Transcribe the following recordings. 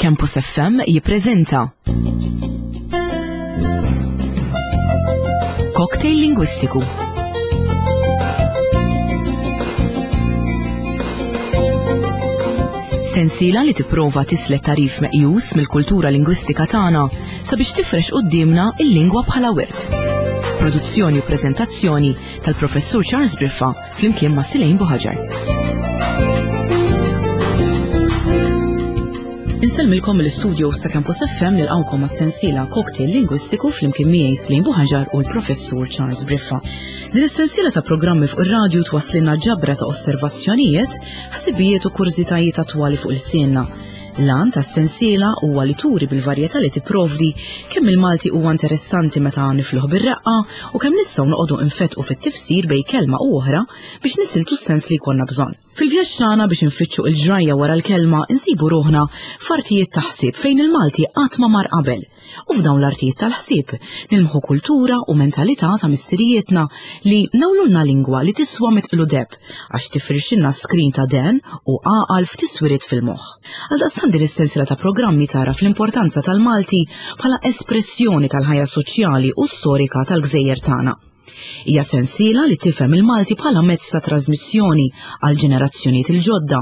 Campus FM jippreżenta Cocktail Lingwistiku. Sensiela li tipprova tislet tarif meqjus mill-kultura lingwistika tagħna sabiex tifrex quddiemna il-lingwa bħala wirt. Produzzjoni u preżentazzjoni tal-Professur Charles Briffa flimkien ma' Silejn Buħaġar. Insellmilkom mill-istudio sa' Campus FM nilqawkom għas-sensiela Cocktail Lingwistiku flimkien miegħi Slin Buħaġar u l-Professur Charles Briffa. Din is-sensiela ta' programmi fuq ir-radju twasslilna ġabra ta' osservazzjonijiet, ħsibijiet u kurżitajiet attwali fuq il-sienna. L-għan tas-sensiela huwa li turi bil-varjetà li tipprovdi kemm il-Malti huwa interessanti meta nifluh bir-reqqa u kemm nistgħu noqogħdu nfettqu fit-tifsir bejn kelma u oħra biex nisiltu s-sens li jkollna bżonn. Fil-vjaġġ tagħna biex infittxu il-ġrajja wara l-kelma insibu ruħna f'artijiet ta' ħsieb fejn il-Malti qatt ma mar qabel. U f'dawn l-artijiet tal-ħsieb nilmħu kultura u mentalità ta' missirijietna li nawlulna lingwa li tiswa mitqlu deb għax tifrixilna skrin ta' den u għaqal f'tiswiriet fil-moħħ. Għaldaqstant din is-sensiela ta' programmi tagħraf l-importanza tal-Malti bħala espressjoni tal-ħajja soċjali u storika tal-gżejjer tagħna. Hija sensiela li tifhem il-Malti bħala mezz ta' trasmissjoni għal ġenerazzjonijiet il-ġodda,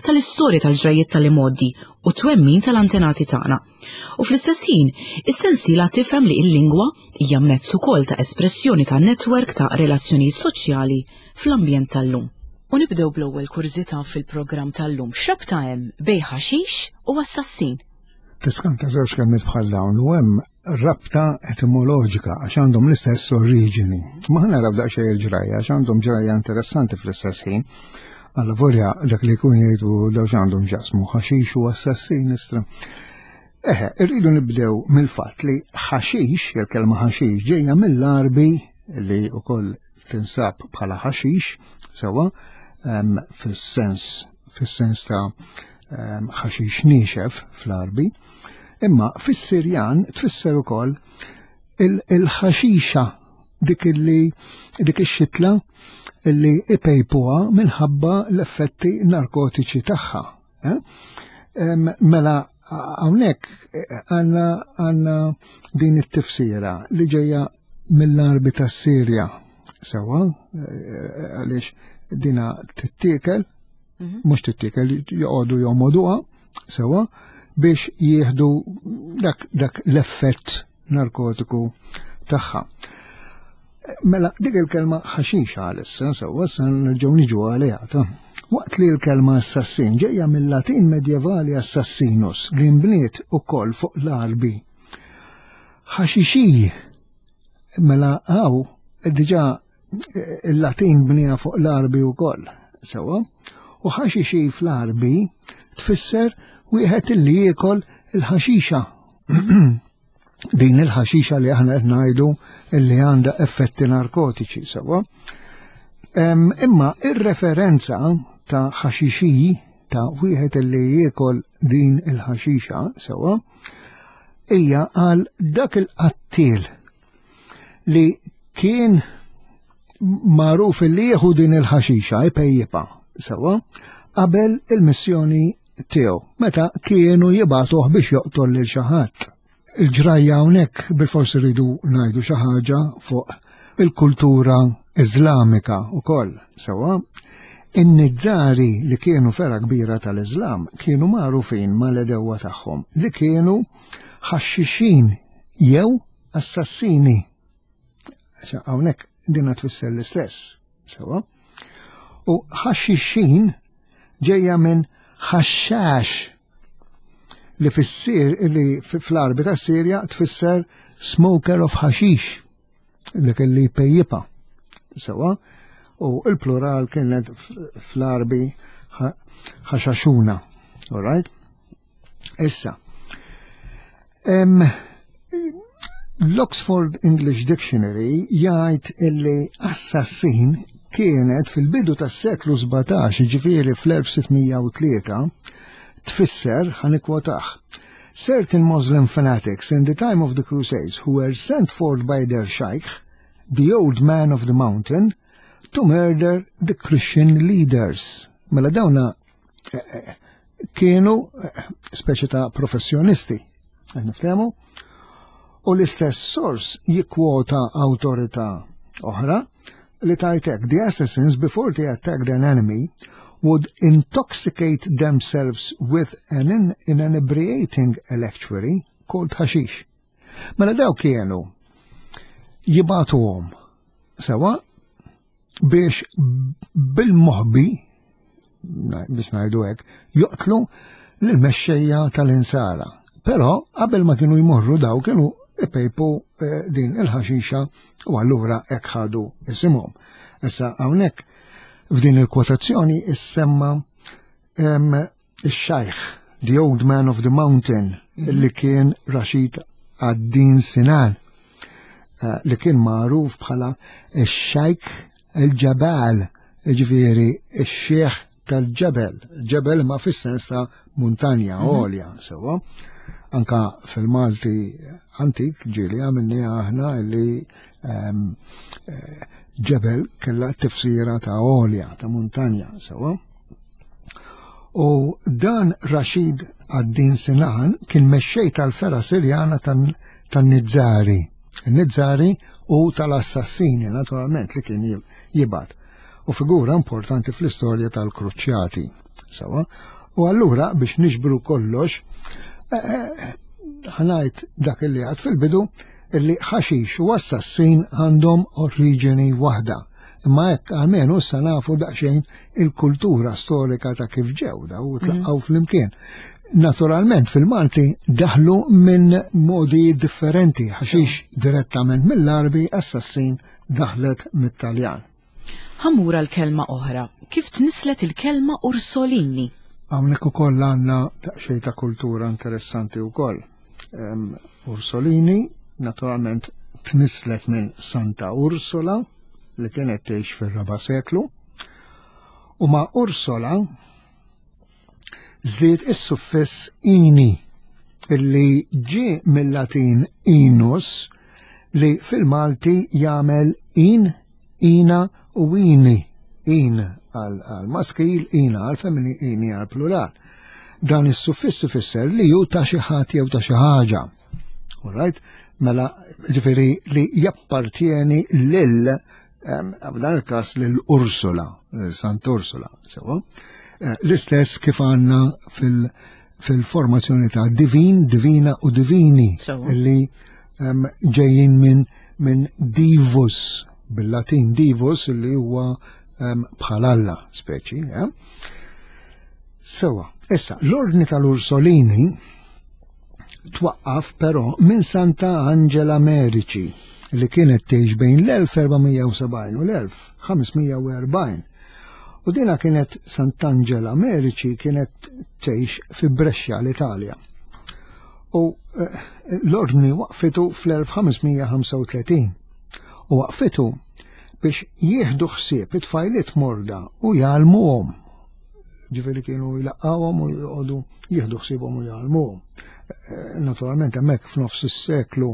tal-istorja tal-ġrajjiet tal-imgħoddi u twemmin tal-antenati tagħna. U fl-istess ħin, is-sensiela tifhem li l-lingwa hija mezz ukoll ta' espressjoni ta' netwerk ta' relazzjonijiet soċjali fl-ambjent tal-lum. U nibdew bl-ewwel kurżità fil-programm tal-lum. X'rabta hemm bejn ħaxix u assassin? Tiskanta żewġ kelmiet bħal dawn u hemm rabta etimoloġika għax għandhom l-istess oriġini. Ma ħa naraw daqsxejn il-ġrajja għax għandhom ġrajja interessanti fl-istess ħin. Alla volja dak li jkun jgħidu daw x'għandhom ġasmu ħaxix u assassin istra. Eħe, irridu nibdew mill-fatt li ħaxix, il-kelma ħaxix ġejja mill-Arbi li wkoll tinsab bħala ħaxix, sewa, fis-sens fis-sens ta' ħaxix niexef fl-Arbi, imma fis-Sirjan tfisser ukoll il-ħaxixa dik illi dik ix-xitla illi ipejpuha minħabba l-effetti narkotiċi tagħha. Eh? Mela hawnhekk eh, għandna għandna din it-tifsira li ġejja mill-arbi tas-Sirja sewwa eh, għaliex dina tittiekel mhm. mhux tittiekel joqogħdu jomoduha sewwa biex jieħdu dak, dak l-effett narkotiku tagħha. Mela, dik il-kelma ħaxix għalissa, sewwa sa nerġgħu niġu għaliha ta' Waqt li l-kelma assassin ġejja mill-Latin medjevali assassinus li nbniet ukoll fuq l-Arbi. Ħaxixi mela għaw diġà il-Latin bnija fuq l-Arbi wkoll, sewwa. U ħaxixi fl-Arbi tfisser wieħed li jiekol il-ħaxixa. din il-ħaxixa li aħna qed ngħidu li għandha effetti narkotiċi sewwa. Imma ir-referenza ta' ħaxixi ta' wieħed li jiekol din il-ħaxixa sewwa hija għal dak il-qattiel li kien magħruf li jieħu din il-ħaxixa ipejjipa sewwa qabel il-missjoni tiegħu meta kienu jibgħatuh biex joqtol lil xi ħadd. Il-ġrajja hawnhekk bilfors iridu ngħidu xi ħaġa fuq il-kultura Iżlamika wkoll sewwa. In-Nizzari li kienu fera kbira tal-Iżlam kienu magħrufin mal-edewwa tagħhom li kienu ħaxxixin jew assassini. Hawnhekk dinha tfisser l-istess, sewwa. U ħaxixin ġejja minn ħaxxax li fissir li fl-arbi ta' Sirja tfisser smoker of ħaxix dik li pejjipa. Sewa, u il-plural kienet fl-arbi ħaxaxuna. All right? Issa, l-Oxford English Dictionary jgħid illi assassin kienet fil-bidu tas-seklu 17, ġifieri fl-1603, tfisser ħanikwotaħ. Certain Muslim fanatics in the time of the Crusades who were sent forth by their sheikh, the old man of the mountain, to murder the Christian leaders. Mela dawna eh, eh, Kienu eh, speċi ta' professjonisti, niftehmu, u l-istess sors jikkwota awtorità oħra li tajtek the assassins before they attacked an enemy would intoxicate themselves with an inebriating electuary called hashish. Mela daw kienu jibatuhom sewa biex bil-moħbi biex ngħidu hekk, joqtlu lill-mexxejja tal-insara. Però qabel ma kienu jmorru daw kienu ipejpu eh, din il-ħaxixa u allura hekk ħadu isimhom. Issa hawnhekk f'din il-kwotazzjoni issemma ix-xajħ, the old man of the mountain, mhm. li kien Rashid Ad-Din Sinan, eh, li kien magħruf bħala ix-xajk il-ġabal, ġifieri ix-xieħ tal-ġebel, ġebel ma fis-sens ta' muntanja mhm. għolja, sewwa. Anka fil-Malti antik ġieli għamilni aħna li ehm, eh, ġebel kella tifsira ta' għolja, ta' muntanja, sewwa. U dan Rashid ad-Din Sinan kien mexxej tal-fergħa Sirjana tan-Nizzari. Nizzari u tal-assassini, naturalment, li kien jibgħat. U figura importanti fl-istorja tal-Kruċjati. Sawa? U allura biex niġbru kollox, eh, eh, ħanajt dak li għad fil-bidu illi ħaxix u assassin għandhom oriġini waħda. Imma hekk almenu issa nafu daqsxejn il-kultura storika ta' kif ġew daw u tlaqqgħu mhm. flimkien. Naturalment fil-Malti daħlu minn modi differenti, ħaxix direttament mill-Arbi, assassin daħlet mit-Taljan. Ħamura l-kelma oħra, kif tnislet il-kelma Ursolini? Hawnhekk ukoll għandna daqsxejn ta' kultura interessanti wkoll. Ursolini, naturalment tnislet minn Santa Ursula li kienet tgħix fir-raba' seklu, u ma' Ursula żdied is-suffiss ini illi ġie mill-Latin inus li fil-Malti jagħmel in, ina u ini. In għal maskil, ina għal femini, ini għal plural. Dan is-suffiss ifisser li hu ta' xi ħadd jew ta' xi ħaġa. Alright? Mela, ġifieri li jappartieni lil f'dan il-każ lil Ursula, Sant Ursula, sewa. Eh, l-istess kif għandna fil-formazzjoni ta' divin, divina u divini li ġejjin minn min divus, bil-Latin divus li huwa bħal Alla speċi. Eh? Sewa, issa, l-ordni tal-Ursolini twaqqaf però minn Santa Angela Merici li kienet tgħix bejn l-1470 u l-1540. U dina kienet Sant'Angela Merici kienet tgħix fi Brescia l-Italja. U eh, l-ordni waqfitu fl-1535 u waqfitu biex jieħdu ħsieb it-tfajliet morda u jgħallmuhom Ġifieri kienu jlaqqawhom u jqogħdu jieħdu ħsiebhom u jgħallmuhom. Eh, naturalment hemmhekk f'nofs is-seklu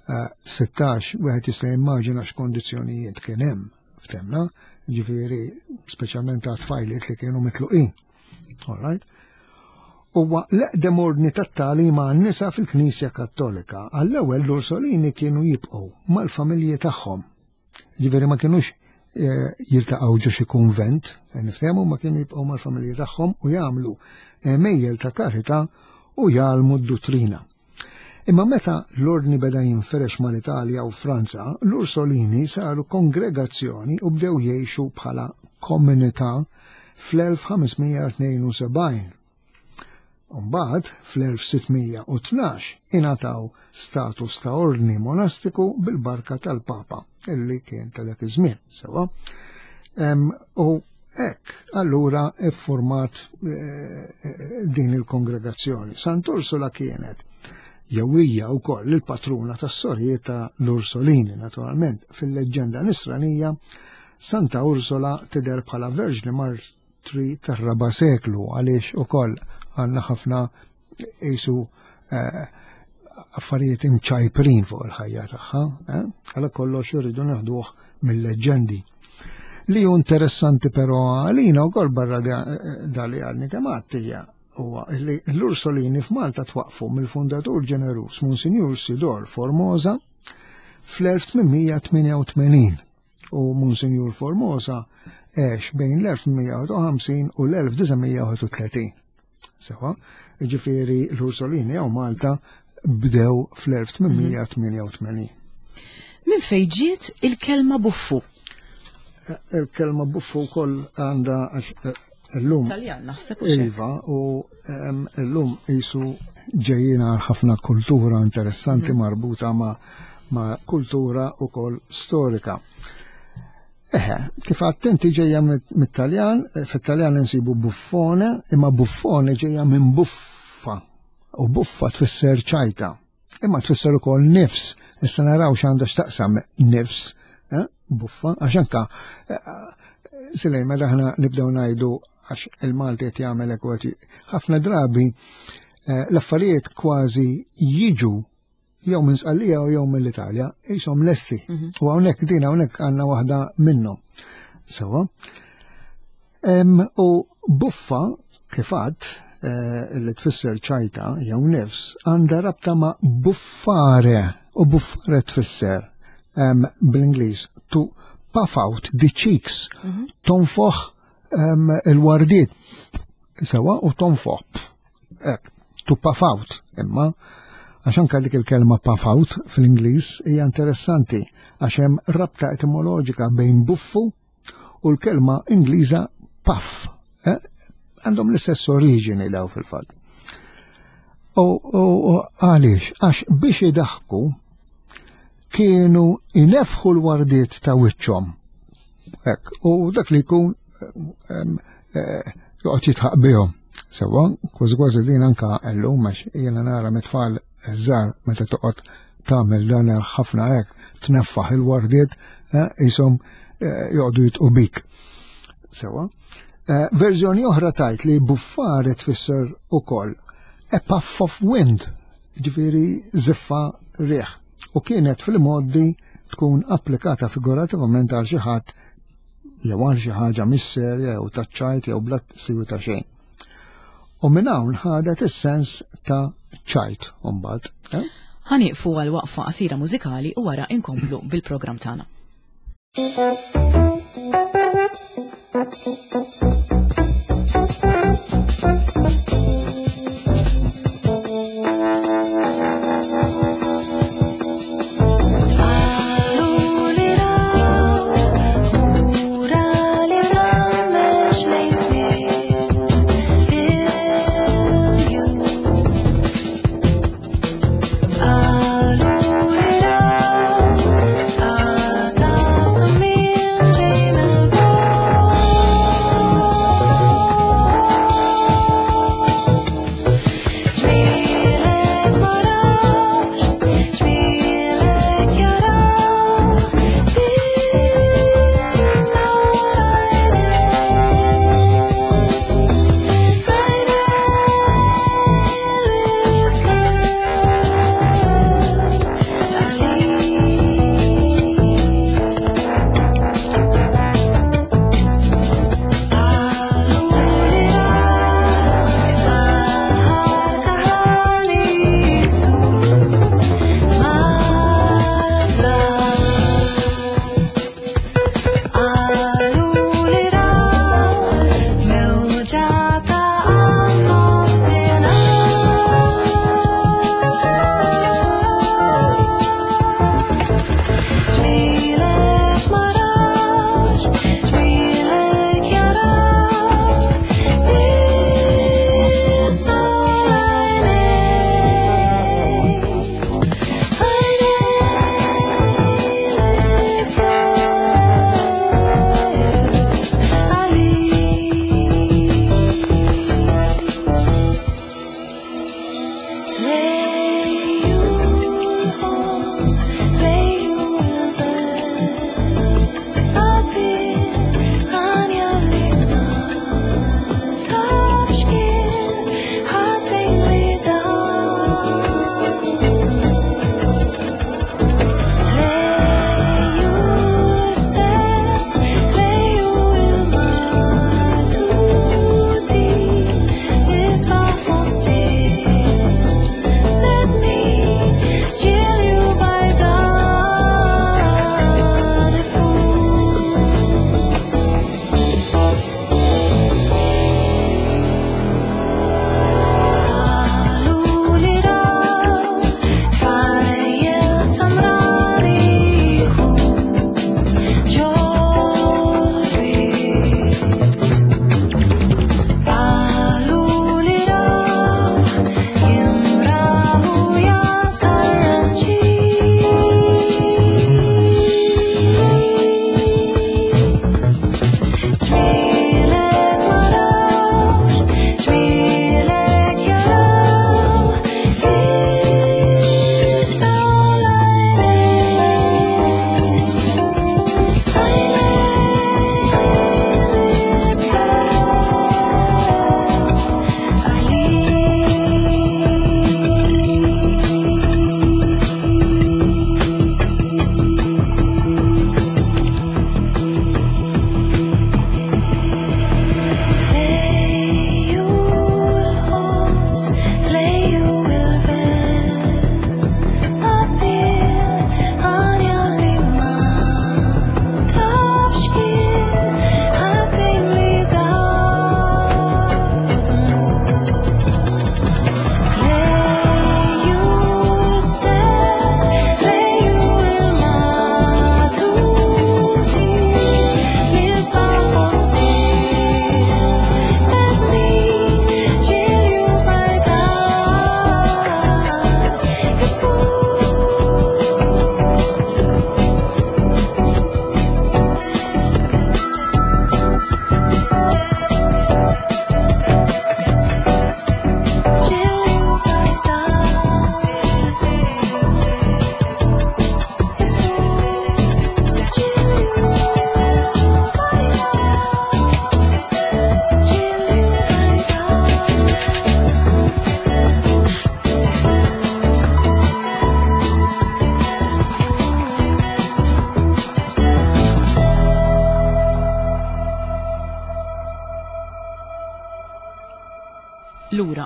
16 eh, wieħed jista' jimmaġina x'kondizzjonijiet kien hemm ftemna, ġifieri speċjalment ta' tfajliet li kienu mitluqin. All right? Huwa l-eqdem ordni tat-tagħlim għan-nisa fil-Knisja Kattolika. Għall-ewwel l-Ursolini kienu jibqgħu mal-familji tagħhom Ġifieri ma kinux eh, jiltaqgħu ġo xi kunvent, eh, niftehmu ma kienu jibqgħu mal-familji tagħhom u jagħmlu eh, mejjel ta' karità u jgħallmu d-duttrina. Imma meta l-ordni beda jinferex mal-Italja u Franza, l-Ursolini saru kongregazzjoni u bdew jgħixu bħala komunità fl-1572. Mbagħad fl-1612 ingħataw status ta' ordni monastiku bil-barka tal-Papa illi kien ta' dak iż-żmien, sewwa. U hekk allura iffurmat eh, eh, din il-kongregazzjoni. Sant'Ursula kienet jew hija wkoll il-patruna tas-sorijiet ta' l-Ursolini, naturalment, fil-leġġenda nisranija Santa Ursula tidher bħala Verġni tri tar-raba' seklu għaliex ukoll għandna ħafna qisu eh, affarijiet imċajprin fuq il-ħajja tagħha, eh? għala kollox irridu neħduh mill-leġġendi. Li hu interessanti però għalina wkoll barra dali għadni kemm hija huwa li l-Ursolini f'Malta twaqfu mill-fundatur ġeneruż Monsinjur Sidor Formosa fl-1888 u Monsinjur Formosa għex bejn l-1850 u l-1931. Sewa, ġifieri l-Ursolini hawn Malta bdew fl-1888. Minn fejn ġiet il-kelma buffu? Il-kelma buffu wkoll għandha għax illum. Taljan naħseb u xejn. Iva, u illum qisu ġejjin għal ħafna kultura interessanti marbuta ma' kultura wkoll storika. Eħe, kif attenti ġejja mit-Taljan, fit-Taljan insibu buffone, imma buffone ġejja minn buffa, u buffa tfisser ċajta, imma tfisser ukoll nifs, issa naraw x'għandha x'taqsam nifs, buffa, għax anka Silej, meta aħna nibdew ngħidu għax il-Malti qed jagħmel hekk u qed ħafna drabi l-affarijiet kważi jiġu jew minn Sqallija u jew mill-Italja, qishom lesti. U hawnhekk din hawnhekk għandna waħda minnhom. Sewa. U buffa kif għadt li tfisser ċajta jew nifs għandha rabta ma' buffare, u buffare tfisser bl-Ingliż to puff out the cheeks, tonfoħ il-wardiet sewa u tonfoħ. Ek, to puff out, imma għax anka dik il-kelma puff out fl-Ingliż hija interessanti għax hemm rabta etimoloġika bejn buffu u l-kelma Ingliża puff. Għandhom l-istess oriġini daw fil-fatt. U għaliex? Għax biex idaħku kienu inefħu l-wardiet ta' wiċċhom. Ek, u dak li jkun joqgħod jitħaq bihom. Sewa, kważi kważi din anka llum għax jiena nara mit-tfal żgħar meta toqgħod tagħmel dan ħafna hekk, tneffaħ il-wardiet qishom joqogħdu jitqu bik. Sewa. Verżjoni oħra tajt li buffare tfisser ukoll a puff of wind, ġifieri ziffa riħ, u kienet fil-modi tkun applikata figurativament għal xi ħadd jew għal xi ħaġa mis-serja jew taċ-ċajt jew bla siwi ta' xejn. U minn hawn ħadet is-sens ta' ċajt mbagħad. Ħanieqfu għal waqfa qasira mużikali u wara inkomplu bil-programm tagħna. Bye.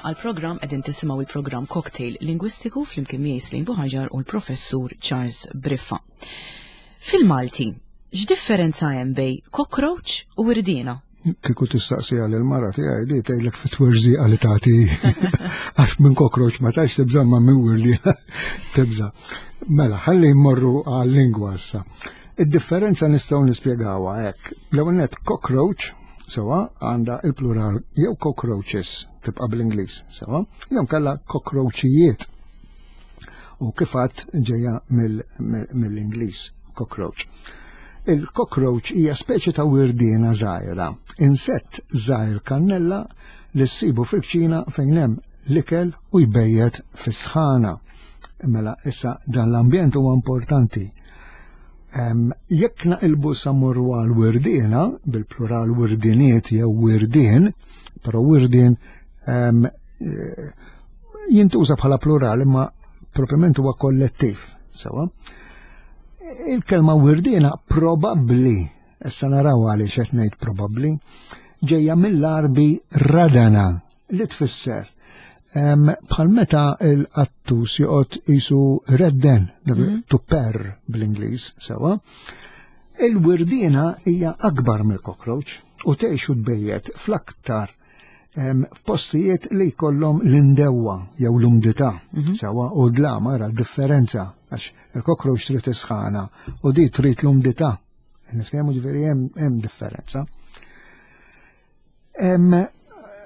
għall-programm qegħdin tisimgħu il-programm Cocktail Lingwistiku flimkien miegħi Slim Buħaġar u l-Professur Charles Briffa. Fil-Malti, x'differenza hemm bej cockroach u wirdiena? Kieku tistaqsija lil mara tiegħi di tgħidlek fit-twerżiqa li tagħti għax minn cockroach ma tax tibża' ma minn wirdiena tibża'. Mela, ħalli mmorru għal-lingwa issa. Id-differenza nistgħu nispjegawha hekk. L-ewwel nett cockroach sewa għandha il-plural jew cockroaches tibqa' bl-Ingliż, sewa, jew kellha cockroachijiet. U kif għadt ġejja mill-Ingliż, cockroach. Il-cockroach hija speċi ta' wirdiena żgħira, insett żgħir kannella li ssibu fil-kċina fejn hemm l-ikel u jbejjet fis-sħana. Mela issa dan l-ambjent huwa importanti. Jekk naqilbu sa mmorru għal wirdiena, bil-plural wirdiniet jew wirdien, però wirdien eh, jintuża bħala plural imma propjament huwa kollettiv, sewa. Il-kelma wirdiena probabbli, issa naraw għaliex qed ngħid probabbli, ġejja mill-Arbi radana li tfisser bħal meta l-qattus joqgħod qisu redden, to purr bl-Ingliż, sewa. Il-wirdiena hija akbar mill-cockroach u tgħix u tbejjet fl-aktar f'postijiet li jkollhom l-indewwa jew l-umdità sewa u dlam ara differenza għax il-cockroach trid isħana u di trid l-umdità. Niftehmu ġifieri hemm differenza.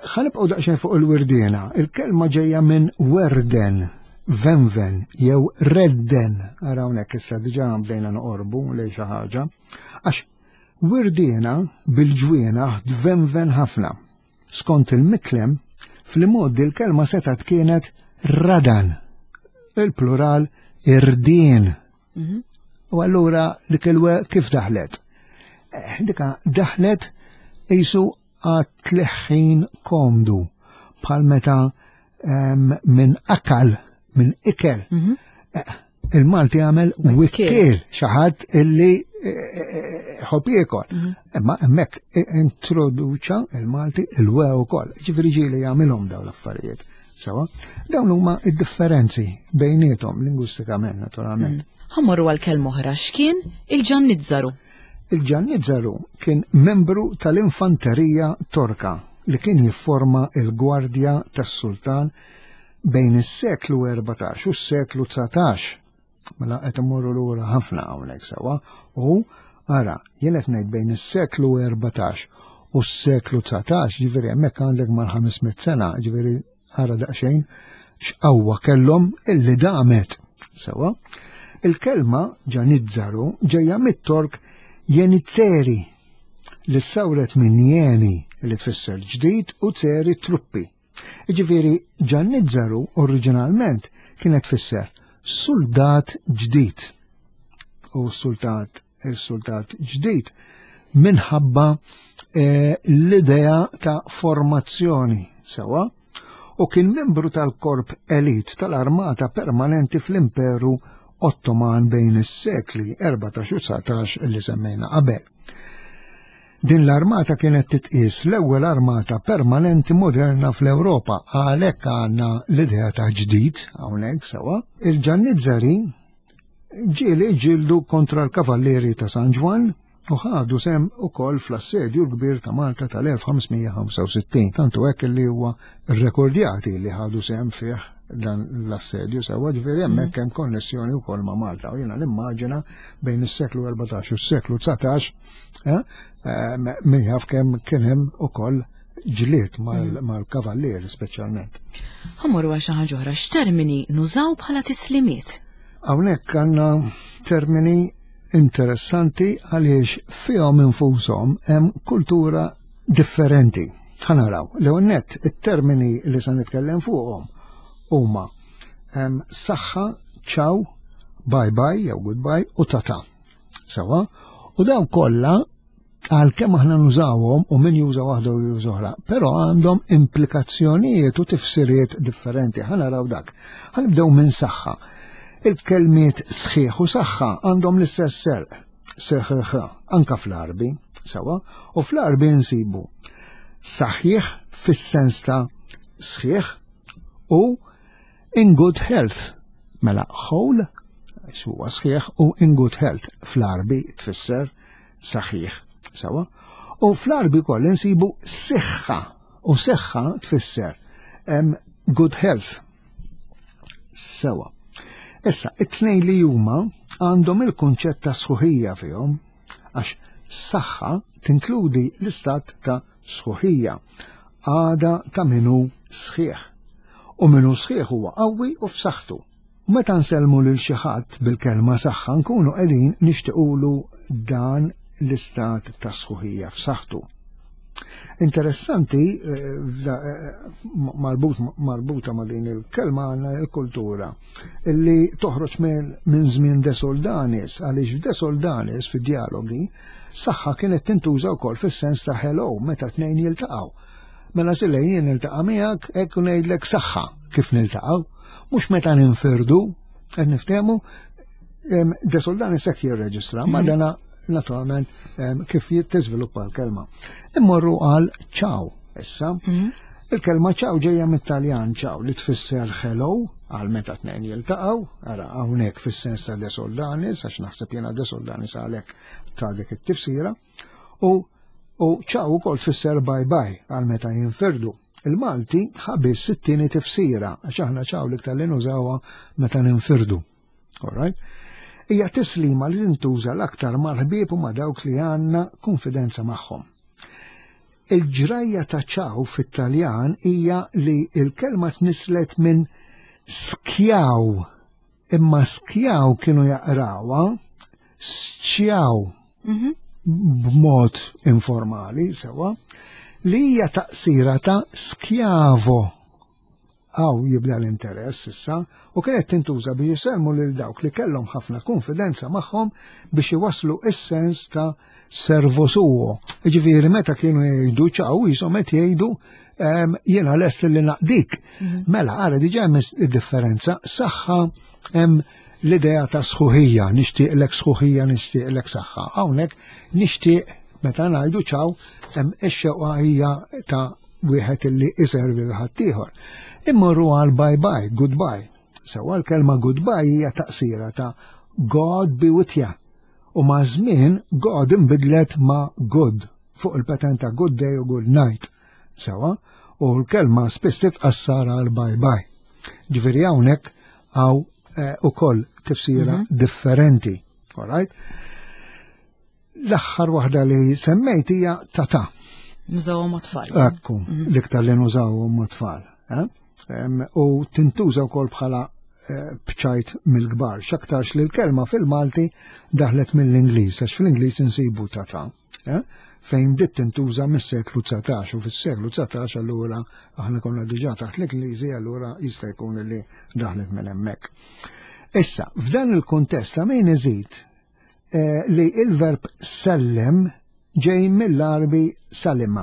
Ħanibqgħu daqsxejn fuq il-wirdiena. Il-kelma ġejja minn werden, venven jew redden. Ara hawnhekk issa diġà bdejna noqorbu lejn xi ħaġa. Għax wirdiena bil-ġwienaħ tvenven ħafna. Skont il-mitlem, fl-imgħoddi l-kelma setgħet kienet radan, il-plural irdien. U allura dik il-we kif daħlet? Eh, dika daħlet qisu għat-tleħħin komdu bħal meta minn akal, minn ikel. Eh, il-Malti għamel wikkiel, xi ħadd illi eh, ħobb jiekol. Imma hemmhekk introduċa il-Malti il-we wkoll. Ġifieri ġieli jagħmilhom dawn l-affarijiet. Sewa, dawn huma id-differenzi bejniethom lingwistikament naturalment. Ħa mmorru għal kelma oħra, x'kien il-ġannizzaru? Il-ġannizzaru kien membru tal-infanterija Torka li kien jifforma il-gwardja tas-sultan bejn is-seklu 14 u s-seklu 19. Mela qed immorru lura ħafna hawnhekk sewa u ara jien qed ngħid bejn is-seklu 14 u s-seklu 19, ġifieri hemmhekk għandek mal-500 sena, ġifieri ara daqsxejn x'qawwa kellhom illi damet. Sewa, il-kelma ġanizzaru ġejja mit-Tork jenizzeri li sawret minn jeni li tfisser ġdid u tseri truppi. Jiġifieri ġannizzaru oriġinalment kienet tfisser suldat ġdid. U sultat il-sultat ġdid minħabba eh, l-idea ta' formazzjoni sewa u kien membru tal-korp elit tal-armata permanenti fl-Imperu Ottoman bejn is-sekli 14 u 19 li semmejna qabel. Din l-armata kienet titqies l-ewwel armata permanenti moderna fl-Ewropa, għalhekk għandna l-idea ta' ġdid hawnhekk sewa. Il-Ġannizzari ġieli ġildu kontra l-Kavallieri ta' San Ġwann u ħadu sem ukoll fl-assedju l-kbir ta' Malta tal-1565, tantu hekk li huwa rrekordjati li ħadu sem fih dan l-assedju sewa ġifieri hemmhekk hemm konnessjoni wkoll ma' Malta u jiena nimmaġina bejn is-seklu 14 u s-seklu 19 eh, eh, min jaf kemm kien hemm ukoll ġlied mm. mal-kavallieri speċjalment. Ħa mmorru għal xi ħaġa oħra, x'termini nużaw bħala tislimiet? Hawnhekk għandna termini interessanti għaliex fihom infushom hemm kultura differenti. Ħa naraw, l nett it-termini li se nitkellem fuqhom huma saħħa, ċaw, bye bye jew goodbye u tata. Sewa, u dawn kollha għalkemm aħna nużawhom u min juża waħda u juża oħra, però għandhom implikazzjonijiet u tifsiriet differenti. Ħa naraw dak. Ħa nibdew minn saħħa. Il-kelmiet sħiħ u saħħa għandhom l-istess serq, seħħ, anka fl-Arbi, sewa, u fl-Arbi nsibu saħħiħ fis-sens ta' sħiħ. u in good health. Mela whole huwa sħiħ u in good health fl-Arbi tfisser saħiħ. Sawa? U fl-Arbi koll insibu siħħa u siħħa tfisser good health. Sewa. Issa, it-tnejn li huma għandhom il-kunċett ta' sħuħija fihom, għax saħħa tinkludi l-istat ta' sħuħija, għada ta' minu sħiħ. U minu sħiħ huwa qawwi u f'saħħtu. U meta nsellmu lil xi ħadd bil-kelma saħħa nkunu qegħdin nixtiequlu dan l-istat ta' sħuħija f'saħħtu. Interessanti, eh, eh, marbut, marbuta ma' din il-kelma għandna il-kultura illi toħroġ minn żmien De Soldanis, għaliex f'De Soldanis fid-dialogi saħħa kienet tintuża wkoll fis-sens ta' hello meta tnejn jiltaqgħu. Mela silej jien niltaqa' miegħek hekk ngħidlek saħħa kif niltaqgħu, mhux meta ninfirdu, qed niftehmu De Soldanis hekk jirreġistra, ma mhm. dana naturalment kif tiżviluppa l-kelma. Immorru għal ciao issa. Mhm. Il-kelma ciao ġejja mit-Taljan ciao li tfisser hello għal meta tnejn jiltaqgħu, ara hawnhekk fis-sens ta' De Soldanis, għax naħseb jiena De Soldanis għalhekk ta' dik it-tifsira, u u ciao ukoll tfisser bye bye għal meta jinfirdu. Il-Malti ħabis it-tieni tifsira, għax aħna ciao l-iktar li nużawha meta ninfirdu. Alright? Hija tislima li tintuża l-aktar mal-ħbieb u ma' dawk li għandna konfidenza magħhom. Il-ġrajja ta' ċaw fit-Taljan hija li l-kelma tnislet minn skjaw, imma skjaw kienu jaqrawha sċjaw mhm. b'mod informali sewa li hija taqsira ta' skjavo Hawn jibda l-interess issa u kienet tintuża biex isellmu lil dawk li kellhom ħafna kunfidenza magħhom biex iwasslu is-sens ta' servo suo. Jiġifieri meta kienu jgħidu ċaw jisom qed jgħidu ehm, jiena lest li naqdik. Mhm. Mela ara diġà hemm id-differenza saħħa hemm l-idea ta' sħuħija, nixtieqlek sħuħija, nixtieqlek saħħa. Hawnhekk nixtieq meta ngħidu ċaw hemm ix-xewqa hija ta' wieħed illi iservi l ħaddieħor. Immorru għal bye bye, goodbye. Sewwa l-kelma goodbye hija taqsira ta' God be with ya. U ma' żmien God inbidlet ma' good fuq il-patent ta' good day u good night. Sewwa, u l-kelma spiss titqassar għal bye bye. Ġifieri hawnhekk hawn eh, ukoll tifsira mm -hmm. differenti. All right? L-aħħar waħda li semmejt hija tata. Nużawhom ma' tfal. Ekku, mhm. l-iktar li nużawhom ma' tfal. Eh? U tintuża wkoll bħala eh, bċajt mill-kbar. X'aktarx li l-kelma fil-Malti daħlet mill-Ingliż, għax fl-Ingliż insibu tata. Eh? Fejn bdiet tintuża mis-seklu 19 u fis-seklu 19 allura aħna konna diġà taħt l-Ingliżi allura jista' jkun li daħlet minn hemmhekk. Issa, f'dan il-kuntest ta' min iżid Eh, li il-verb sellem ġej mill-Arbi salima.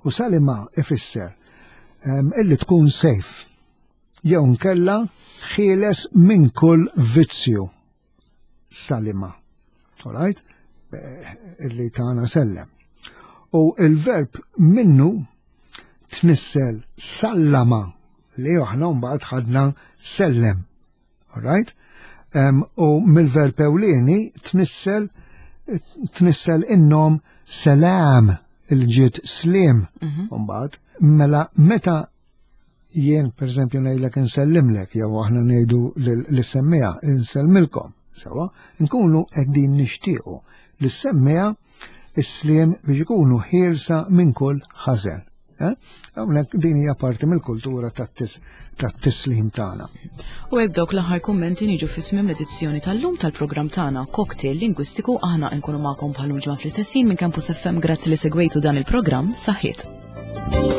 U salima ifisser ehm, illi tkun safe jew nkella ħieles minn kull vizzju. Salima. Alright? Eh, illi tagħna sellem. U il-verb minnu tnissel sallama li aħna mbagħad ħadna sellem. Alright? Um, u mill-verb ewlieni tnissel tnissel innom salam il-ġiet slim mhm. mbagħad mela meta jien pereżempju ngħidlek insellimlek jew aħna ngħidu lis-semmija insellmilkom sewa nkunu qegħdin nixtiequ lis-semmija is-sliem biex ikunu ħielsa minn kull ħażen. Eh? Hawnhekk din hija parti mill-kultura tat-tislim tagħna. U hekk dawk l-aħħar kummenti niġu fi tmiem l-edizzjoni tal-lum tal-programm tagħna Cocktail Lingwistiku aħna nkunu magħkom bħal ġimgħa fl-istessin minn Campus FM grazzi li segwejtu dan il-programm saħħiet.